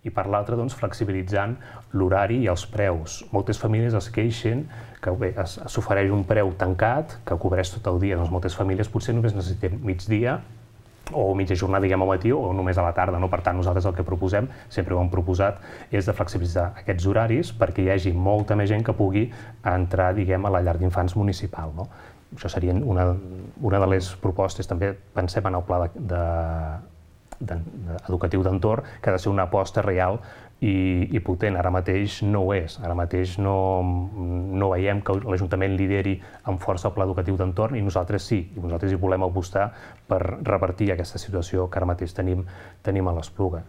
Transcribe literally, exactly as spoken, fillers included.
i per l'altra, doncs, flexibilitzant l'horari i els preus. Moltes famílies es queixen que bé, s'ofereix un preu tancat, que cobreix tot el dia. Doncs moltes famílies potser només necessiten migdia o mitja jornada, diguem, al matí o només a la tarda. No? Per tant, nosaltres el que proposem, sempre ho hem proposat, és de flexibilitzar aquests horaris perquè hi hagi molta més gent que pugui entrar, diguem, a la llar d'infants municipal. No? Això seria una, una de les propostes. També pensem en el pla de, de, de, de, educatiu d'entorn, que ha de ser una aposta real i, i potent. Ara mateix no ho és. Ara mateix no, no veiem que l'Ajuntament lideri amb força el pla educatiu d'entorn i nosaltres sí, i nosaltres hi volem apostar per revertir aquesta situació que ara mateix tenim, tenim a l'Espluga.